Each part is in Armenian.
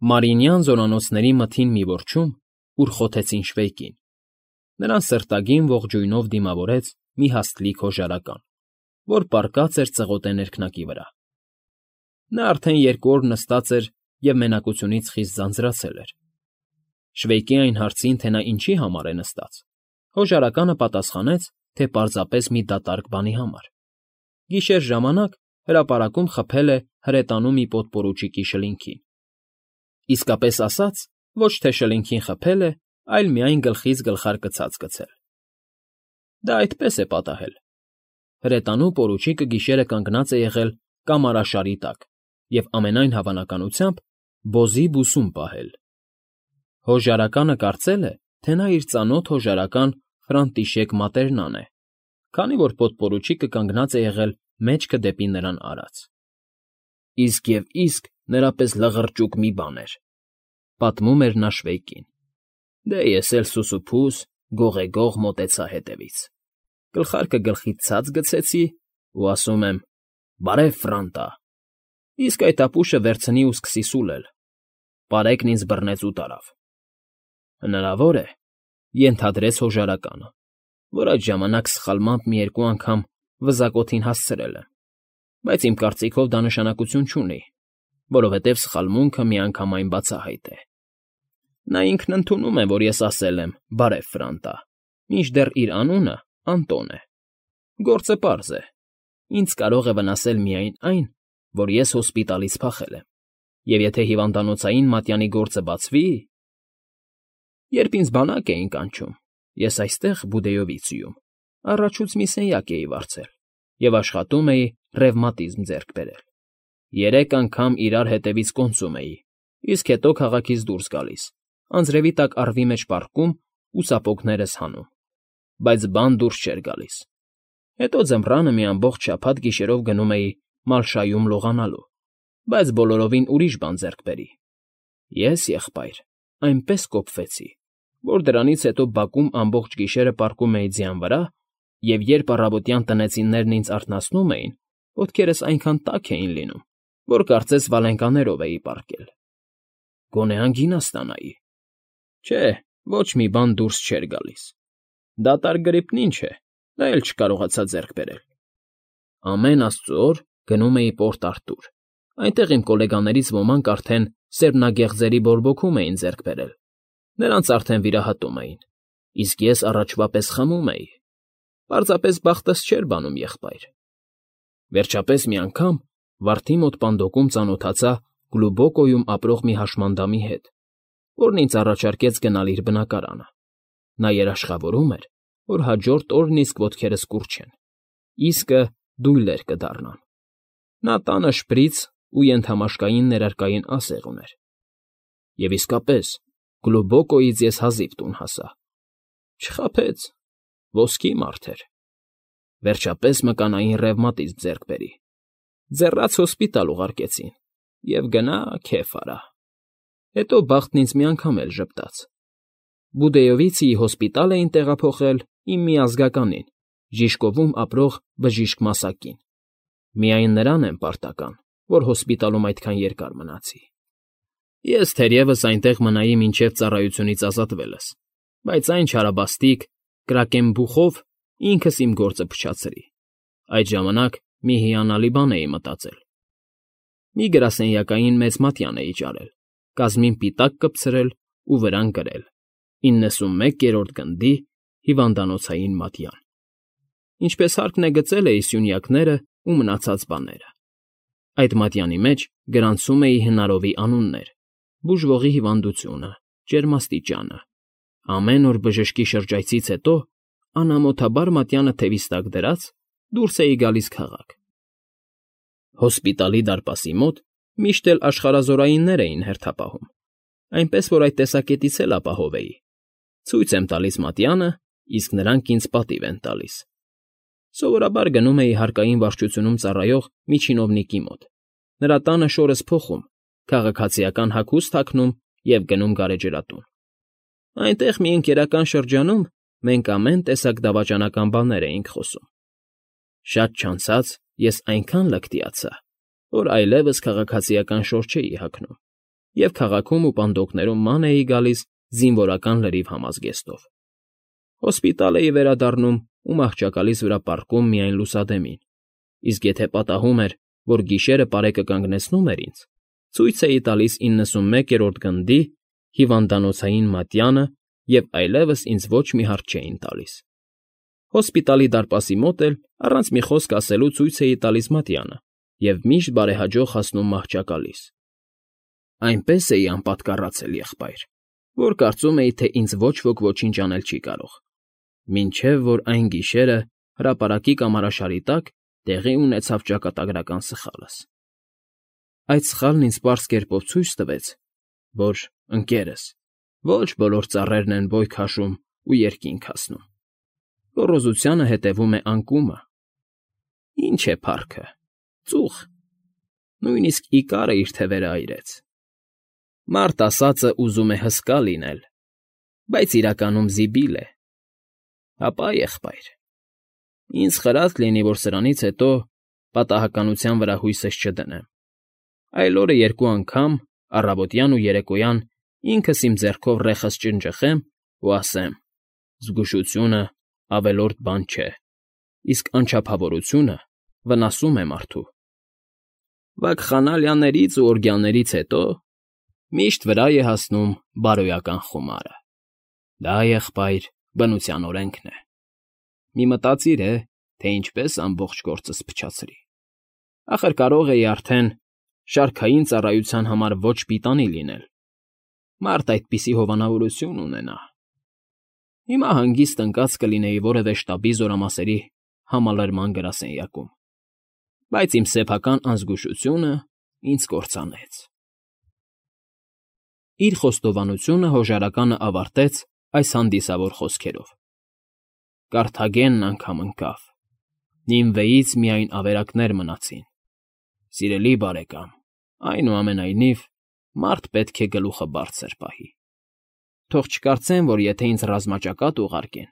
Մարինյան զորանոցների մթին մի որջում, ուր խոթեցին շվեյկին, նրան սրտագին ողջույնով դիմավորեց մի հաստլիկ հոժարական, որ պառկած էր ծղոտե ներքնակի վրա. նա արդեն 2 օր նստած էր և մենակությունից խիստ ձանձրացել էր։ Շվեյկի այն հարցին, թե նա ինչի համար է նստած, հոժարականը պատասխանեց, թե պարզապես մի դատարկ բանի համար. գիշեր ժամանակ հրապարակում խփել է հրետանու մի պոդպորուչիկի շլինքին։ Իսկապես ասած, ոչ թե շլինքին խփել է, այլ միայն գլխից գլխարկը ցած գցել։ Դա այդպես է պատահել. հրետանու պորուչիկը գիշերը կանգնած է եղել կամարաշարի տակ և ամենայն հավանականությամբ բոզի բուսում պահել։ Հոժարականը կարծել է, թե նա իր ծանոթ հոժարական Ֆրանտիշեկ Մատերնան է, քանի որ պոդպորուչիկը կանգնած է եղել մեջքը դեպի նրան արած։ Իսկ և իսկ նրա պես լղրճուկ մի բան էր, պատմում էր նա Շվեյկին։ Դե ես էլ սուսուփուս գողեգող մոտեցա հետևից, գլխարկը գլխից ցած գցեցի ու ասում եմ. «Բարև, Ֆրանտա», իսկ այդ ապուշը վերցնի ու սկսի սուլել։ Պարեկն ինձ բռնեց ու տարավ։ Հնարավոր է, ենթադրեց հոժարականը, որ այդ ժամանակ սխալմամբ մի 2 անգամ վզակոթին հասցրել եմ, բայց իմ կարծիքով դա նշանակություն չունի, որովհետև սխալմունքը միանգամայն բացահայտ է։ Նա ինքն ընդունում է, որ ես ասել եմ «Բարև, Ֆրանտա», մինչդեռ իր անունը Անտոն է։ Գործը պարզ է. ինձ կարող է վնասել միայն այն, որ ես հոսպիտալից փախել եմ, և եթե հիվանդանոցային մատյանի գործը բացվի… Երբ ինձ բանակ էին կանչում, ես այստեղ, Բուդեովիցիում, առաջուց մի սենյակ էի վարձել և աշխատում էի ռևմատիզմ ձեռք բերել։ 3 անգամ իրար հետևից կոնծում էի, իսկ հետո քաղաքից դուրս գալիս, անձրևի տակ առվի մեջ պառկում ու սապոգներս հանում, բայց բան դուրս չէր գալիս։ Հետո ձմռանը մի ամբողջ շաբաթ գիշերով գնում էի Մալշայում լողանալու, բայց բոլորովին ուրիշ բան ձեռք բերի։ Ես, եղբայր, այնպես կոպվեցի, որ դրանից հետո բակում ամբողջ գիշերը պառկում էի ձյան վրա, և երբ առավոտյան տնեցիներն ինձ արթնացնում էին, ոտքերս այնքան տաք էին լինում, որ կարծես վալենկաներով էի պառկել։ Գոնե անգինա ստանայի։ Չէ, ոչ մի բան դուրս չէր գալիս։ Դատարկ գրիպն ինչ է, դա էլ չկարողացա ձեռք բերել։ Ամեն աստծու օր գնում էի Պորտ Արտուր, այնտեղ իմ գոլեգաներից ոմանք արդեն սերմնագեղձերի բորբոքում էին ձեռք բերել, նրանց արդեն վիրահատում էին, իսկ ես առաջվա պես խմում էի։ Պարզապես բախտս չէր բանում, եղբայր։ Վերջապես մի անգամ վարդի մոտ պանդոկում ծանոթացա Գլուբոկոյում ապրող մի հաշմանդամի հետ, որն ինձ առաջարկեց գնալ իր բնակարանը։ Նա երաշխավորում էր, որ հաջորդ օրն իսկ ոտքերս կուռչեն, իսկը դույլեր կդառնան։ Նա տանը շպրից ու ենթամաշկային ներարկային ասեղ ուներ։ Եվ իսկապես, Գլուբոկոյից ես հազիվ տուն հասա։ Չխաբեց, ոսկի մարդ էր։ Վերջապես մկանային ռևմատիզմ ձեռք բերի։ Ձեռաց հոսպիտալ ուղարկեցին, և գնա քեֆ արա։ Հետո բախտն ինձ մի անգամ էլ ժպտաց։ Բուդեովիցիի հոսպիտալ էին տեղափոխել իմ մի ազգականին, Ժիշկովում ապրող բժիշկ Մասակին։ Միայն նրան եմ պարտական, որ հոսպիտալում այդքան երկար մնացի։ Ես թերևս այնտեղ մնայի մինչև ծառայությունից ազատվելս, բայց այն չարաբաստիկ Կրակենբուխով ինքս իմ գործը փչացրի։ Այդ ժամանակ մի հիանալի բան էի մտածել։ Մի գրասենյակային մեծ մատյան էի ճարել, կազմին պիտակ կպցրել ու վրան գրել. 91-րդ գնդի հիվանդանոցային մատյան։ Ինչպես հարկն է գծել էի սյունյակները ու մնացած բաները։ Այդ մատյանի մեջ գրանցում էի հնարովի անուններ, բուժվողի հիվանդությունը, ջերմաստիճանը։ Ամեն օր բժշկի շրջայցից հետո, անամոթաբար մատյանը թևիս տակ դրած, դուրս էի գալիս քաղաք։ Հոսպիտալի դարպասի մոտ միշտ էլ աշխարհազորայիններ էին հերթապահում, այնպես որ այդ տեսակետից էլ ապահով էի։ Ցույց եմ տալիս մատյանը, իսկ նրանք ինձ պատիվ են տալիս։ Սովորաբար գնում էի հարկային վարչությունում ծառայող մի չինովնիկի մոտ։ Նրա տանը շորս փոխում, քաղաքացիական հագուստ հագնում և գնում գարեջրատուն։ Այնտեղ մի ընկերական շրջանում մենք ամեն տեսակ դավաճանական բաներ էինք խոսում։ Շատ չանցած ես այնքան լկտիացա, որ այլևս քաղաքացիական շոր չէի հագնում, և քաղաքում ու պանդոկներում ման էի գալիս զինվորական լրիվ համազգեստով։ Հոսպիտալ էի վերադառնում ու մահճակալիս վրա պառկում միայն լուսադեմին, իսկ եթե պատահում էր, որ գիշերը պարեկը կանգնեցնում էր ինձ, ցույց էի տալիս 91-րդ գնդի հիվանդանոցային մատյանը և այլևս ինձ ոչ մի հարց չէին տալիս։ Հոսպիտալի դարպասի մոտ էլ առանց մի խոսք ասելու ցույց էի տալիս մատյանը և միշտ բարեհաջող հասնում մահճակալիս։ Այնպես էի անպատկառացել, եղբայր, որ կարծում էի, թե ինձ ոչ ոք ոչինչ անել չի կարող, մինչև որ այն գիշերը հրապարակի կամարաշարի տակ տեղի ունեցավ ճակատագրական սխալս։ Այդ սխալն ինձ պարզ կերպով ցույց տվեց, որ, ընկերս, ոչ բոլոր ծառերն են բոյ քաշում ու երկինք հասնում։ Գոռոզությանը հետևում է անկումը։ Ինչ է փառքը, ծուխ, նույնիսկ Իկարը իր թևերը այրեց։ Մարդ ասածը ուզում է հսկա լինել, բայց իրականում զիբիլ է։ Հապա, եղբայր, ինձ խրատ լինի, որ սրանից հետո պատահականության վրա հույսս չդնեմ, այլ օրը երկու անգամ, առավոտյան ու երեկոյան ինքս իմ ձեռքով ռեխս ճնճխեմ ու ասեմ. զգուշությունը ավելորդ բան չէ, իսկ անչափավորությունը վնասում է մարդու։ Վակխանալիաներից ու օրգյաններից հետո միշտ վրա է հասնում բարոյական խումարը։ Դա, եղբայր, բնության օրենքն է։ Մի մտածիր, թե ինչպես ամբողջ գործս փչացրի։ Ախր կարող էի արդեն շարքային ծառայության համար ոչ պիտանի լինել։ Մարդ այդպիսի հովանավորություն ունենա։ Հիմա հանգիստ ընկած կլինեի որևէ շտաբի զորամասերի համալրման գրասենյակում, բայց իմ սեփական անզգուշությունը ինձ կործանեց։ Իր խոստովանությունը հոժարականը ավարտեց այս հանդիսավոր խոսքերով. Կարթագենն անգամ ընկավ, Նինվեից միայն ավերակներ մնացին։ Սիրելի բարեկամ, այնուամենայնիվ, մարդ պետք է գլուխը բարձր պահի։ Թող չկարծեն, որ եթե ինձ ռազմաճակատ ուղարկեն,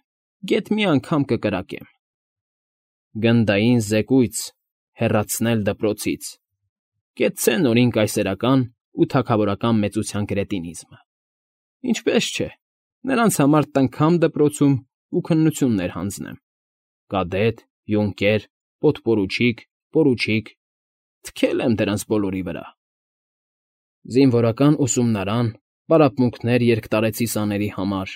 գեթ մի անգամ կկրակեմ։ Գնդային զեկույց, հեռացնել դպրոցից, կեցցե նորին կայսերական ու թագավորական մեծության կրետինիզմը։ Ինչպես չէ, նրանց համար տնքամ դպրոցում ու քննություններ հանձնեմ։ Կադետ, յունկեր, պոդպորուչիկ, պորուչիկ, թքել եմ դրանց բոլորի վրա։ Զինվորական ուսումնարան, պարապմունքներ երկտարեցի սաների համար։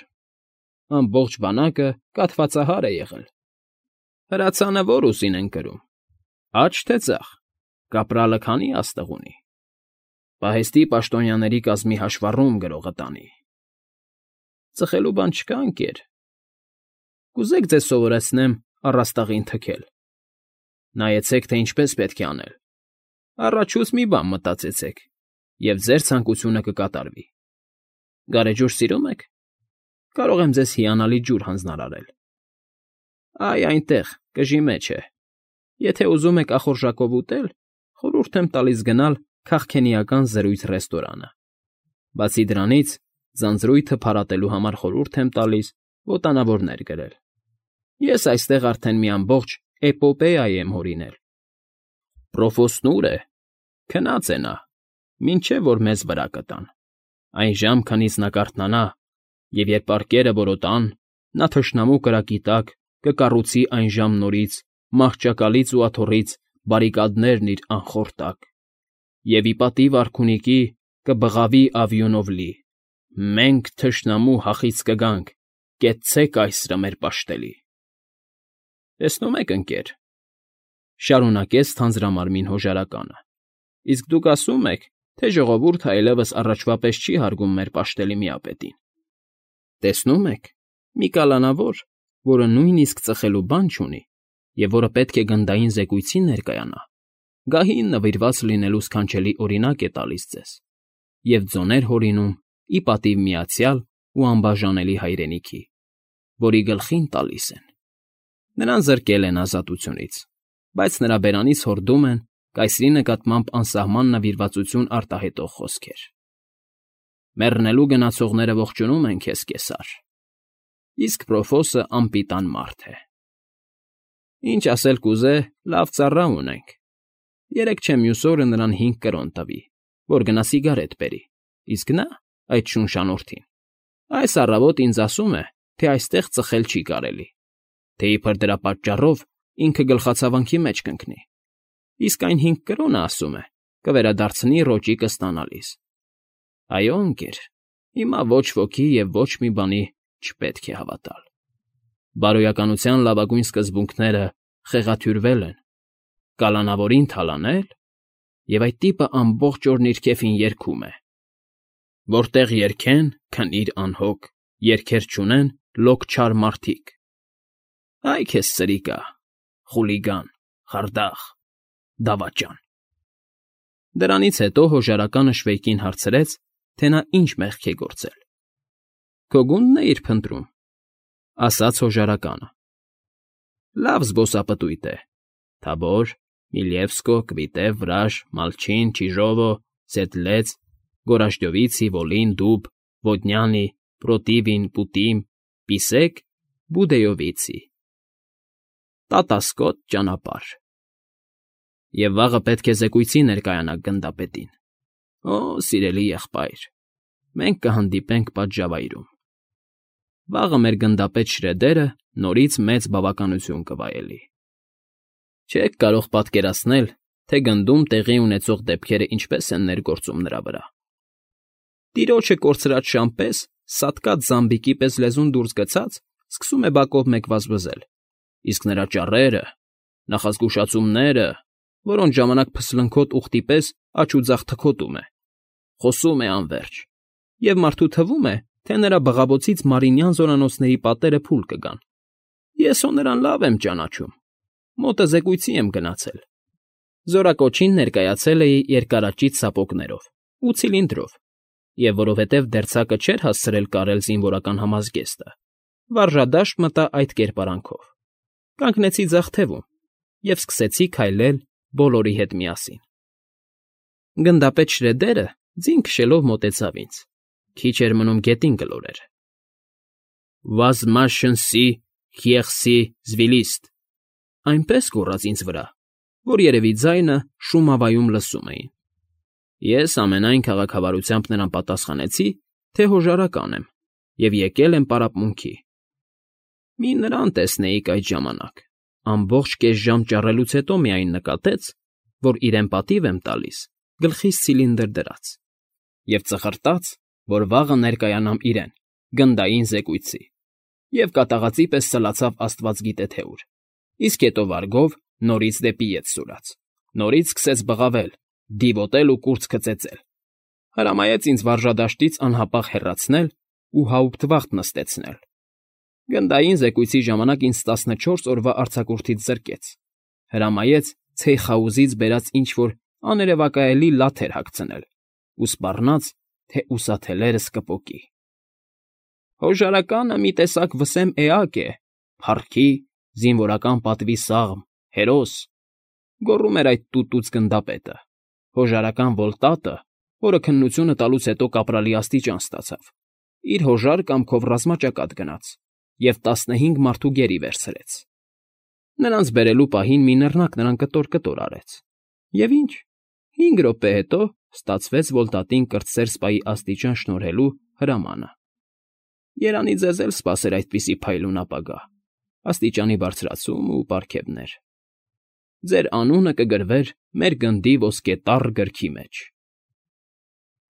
Ամբողջ բանակը կաթվածահար է եղել։ Հրացանը ո՞ր ուսին են կրում։ Աջ թե ձախ, կապրալը քանի աստղ ունի։ Պահեստի պաշտոնյաների կազմի հաշվառում գրողը տանի։ Ծխելու բան չկա, ընկեր։ Կուզեք ձեզ սովորեցնեմ առաստաղին թքել։ Նայեցեք, թե ինչպես պետք է անել։ Առաջուց մի բան մտածեցեք, և ձեր ցանկությունը կկատարվի։ Գարեջուր սիրո՞ւմ եք։ Կարող եմ ձեզ հիանալի ջուր հանձնարարել։ Այ այնտեղ, կժի մեջ է։ Եթե ուզում եք ախորժակով ուտել, խորհուրդ եմ տալիս գնալ քաղքենիական զրույց ռեստորանը։ Բացի դրանից, ձանձրույթը փարատելու համար խորհուրդ եմ տալիս ոտանավորներ գրել։ Ես այստեղ արդեն մի ամբողջ էպոպեա եմ հորինել։ Պրոֆոսն ուր է։ Քնած է նա, մինչև որ մեզ վրա կտան։ Այն ժամ, քանից նա կարթնանա, և երբ պարկերը որոտան, նա թշնամու կրակի տակ կկառուցի այն ժամ նորից մահճակալից ու աթոռից բարիկադներն իր անխորտակ, և ի պատիվ արքունիքի կբղավի ավյունով լի. մենք թշնամու հախից կգանք, կեցցե՛ք կայսրը մեր պաշտելի։ Տեսնում եք, ընկեր, շարունակեց թանձրամարմին հոժարականը, իսկ դուք ասում եք, թե ժողովուրդը այլևս առաջվա պես չի հարգում մեր պաշտելի միապետին։ Տեսնում եք, մի կալանավոր, որը նույնիսկ ծխելու բան չունի, և որը պետք է գնդային զեկույցին ներկայանա, գահին նվիրված լինելու սքանչելի օրինակ է տալիս ձեզ, և ձոներ հորինում ի պատիվ միացյալ ու անբաժանելի հայրենիքի, որի գլխին տալիս են։ Նրան զրկել են ազատությունից, բայց նրա բերանից հորդում են կայսրի նկատմամբ անսահման նվիրվածություն արտահայտող խոսքեր։ Մեռնելու գնացողները ողջունում են քեզ, կեսար, իսկ պրոֆոսը անպիտան մարդ է։ Ինչ ասել կուզե, լավ ծառա ունենք։ Երեկ չէ մյուս օրը նրան 5 կրոն տվի, որ գնա սիգարետ բերի, Իսկ նա, այդ շունշանոթին, այս առավոտ ինձ ասում է, թե այստեղ ծխել չի կարելի, թե իբր դրա պատճառով ինքը գլխացավանքի մեջ կընկնի, իսկ այն 5 կրոնը, ասում է, կվերադարձնի ռոճիկը ստանալիս։ Այո, ընկեր, հիմա ոչ ոքի և ոչ մի բանի չպետք է հավատալ։ Բարոյականության լավագույն սկզբունքները խեղաթյուրվել են, կալանավորին թալանել, և այդ տիպը ամբողջ օրն իր քեֆին երգում է. որտեղ երգեն, քնիր անհոգ, երգեր չունեն, լոկ չար մարդիկ։ Այ քեզ սրիկա, խուլիգան, խարդախ, դավաճան։ Դրանից հետո հոժարականը Շվեյկին հարցրեց, թե նա ինչ մեղք է գործել։ Քո գունդն է իր փնտրում, ասաց հոժարականը։ Լավ զբոսապտույտ է. Թաբոր, Միլևսկո, Կվիտև, Վրաժ, Մալչին, Չիժովո, Սետլեց, Գորաշդյովիցի, Վոլին, Դուբ, Ոդնյանի, Պրոտիվին, Պուտիմ, Պիսեկ, Բուդեյովիցի։ Տատասկոտ ճանապարհ։ Եվ վաղը պետք է զեկույցի ներկայանաք գնդապետին։ Օ, սիրելի եղբայր, մենք կհանդիպենք պատժավայրում։ Վաղը մեր գնդապետ Շրեդերը նորից մեծ բավականություն կվայելի։ Չեք կարող պատկերացնել, թե գնդում տեղի ունեցող դեպքերը ինչպես են ներգործում նրա վրա։ Տիրոջը կորցրած շամպես, սատկած զամբիկի պես լեզուն դուրս գցած, սկսում է բակով մեկ վազվզել, իսկ նրա ճառերը, նախազգուշացումները, որոնց ժամանակ փսլնքոտ ուղտի պես աջ ու ձախ թքոտում է, խոսում է անվերջ, և մարդու թվում է, թե նրա բղավոցից Մարինյան զորանոցների պատերը փուլ կգան։ Ես հո նրան լավ եմ ճանաչում, մոտը զեկույցի եմ գնացել։ Զորակոչին ներկայացել էի երկարաճիտ սապոգներով ու ցիլինդրով, և որովհետև դերձակը չէր հասցրել կարել զինվորական համազգեստը, վարժադաշտ մտա այդ կերպարանքով։ Կանգնեցի ձախ թևում և սկսեցի քայլել բոլորի հետ միասին։ Գնդապետ Շրեդերը ձին քշելով մոտեցավ ինձ, քիչ էր մնում գետին գլորեր։ Վազմաշնսի, խիեղսի, զվիլիստ, այնպես գոռաց ինձ վրա, որ երևի ձայնը շումավայում լսում էին։ Ես ամենայն քաղաքավարությամբ նրան պատասխանեցի, թե հոժարական եմ և եկել եմ պարապմունքի։ Մի նրան տեսնեիք այդ ժամանակ, ամբողջ կես ժամ ճառելուց հետո միայն նկատեց, որ իրեն պատիվ եմ տալիս, գլխիս ցիլինդր դրած, և ծխրտաց, որ վաղը ներկայանամ իրեն, գնդային զեկույցի, և կատաղածի պես սլացավ աստված գիտե թե ուր, իսկ հետո վարգով նորից դեպի ետ սուրաց, նորից սկսեց բղավել, դիվոտել ու կուրծքը ծեծել, հրամայեց ինձ վարժադաշտից անհապաղ հեռացնել ու հաուպտվախտ նստեցնել։ Գնդային զեկույցի ժամանակ ինձ 14 օրվա արձակուրդից զրկեց, հրամայեց ցեյխաուզից բերած ինչ-որ աներևակայելի լաթեր հագցնել ու սպառնաց, թե ուսաթելերս կպոկի։ Հոժարականը մի տեսակ վսեմ էակ է, փառքի, զինվորական պատվի սաղմ, հերոս, գոռում էր այդ տուտուց գնդապետը, հոժարական Վոլտատը, որը քննությունը տալուց հետո կապրալի աստիճան ստացավ, իր հոժար կամքով ռազմաճակատ գնաց և 15 մարդու գերի վերցրեց։ Նրանց բերելու պահին մի նռնակ նրան կտոր արեց։ Եվ ինչ, 5 րոպե հետո ստացվեց Վոլտատին կրտսեր սպայի աստիճան շնորհելու հրամանը։ Երանի ձեզ էլ սպասեր այդպիսի փայլուն ապագա, աստիճանի բարձրացում ու պարգևներ։ Ձեր անունը կգրվեր մեր գնդի ոսկե տառ գրքի մեջ։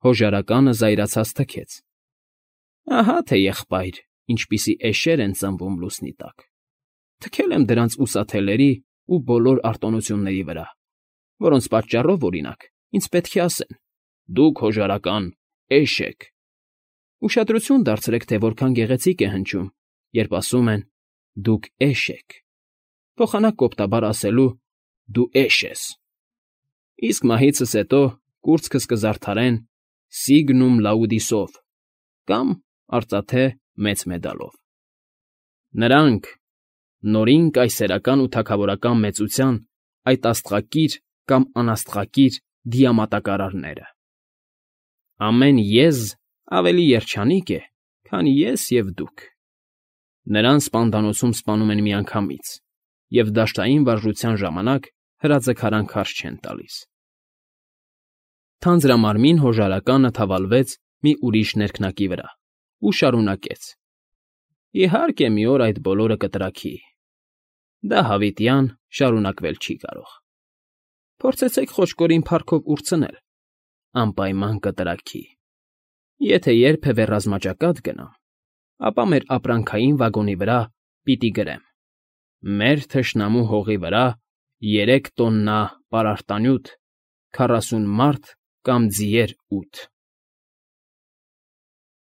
Հոժարականը զայրացած թքեց։ Ահա թե եղբայր, ինչպիսի էշեր են ծնվում լուսնի տակ։ Թքել եմ դրանց ուսաթելերի ու բոլոր արտոնությունների վրա, որոնց պատճառով, օրինակ, ինձ պետք է ասեն. դուք հոժարական էշ եք։ Ուշադրություն դարձրեք, թե որքան գեղեցիկ է հնչում, երբ ասում են դուք էշ եք, փոխանակ կոպտաբար ասելու դու էշ ես։ Իսկ մահիցս հետո կուրծքս կզարդարեն Signum Laudisով կամ արծաթե մեծ մեդալով։ Նրանք, նորին կայսերական ու թագավորական մեծության այդ աստղակիր կամ անաստղակիր դիամատակարարները։ Ամեն եզ ավելի երջանիկ է, քան ես և դուք։ Նրան սպանդանոցում սպանում են միանգամից, և դաշտային վարժության ժամանակ հրաձգարան քարշ չեն տալիս։ Թանձրամարմին հոժարականը թավալվեց մի ուրիշ ներքնակի վրա ու շարունակեց. «Իհարկե, մի օր այդ բոլորը կտրաքի. դա հավիտյան շարունակվել չի կարող։ Փորձեցեք խոճկորին փառքով ուրցնել, անպայման կտրաքի։ Եթե երբևէ ռազմաճակատ գնամ, ապա մեր ապրանքային վագոնի վրա պիտի գրեմ. մեր թշնամու հողի վրա 3 տոննա պարարտանյութ, 40 մարդ կամ ձիեր 8»։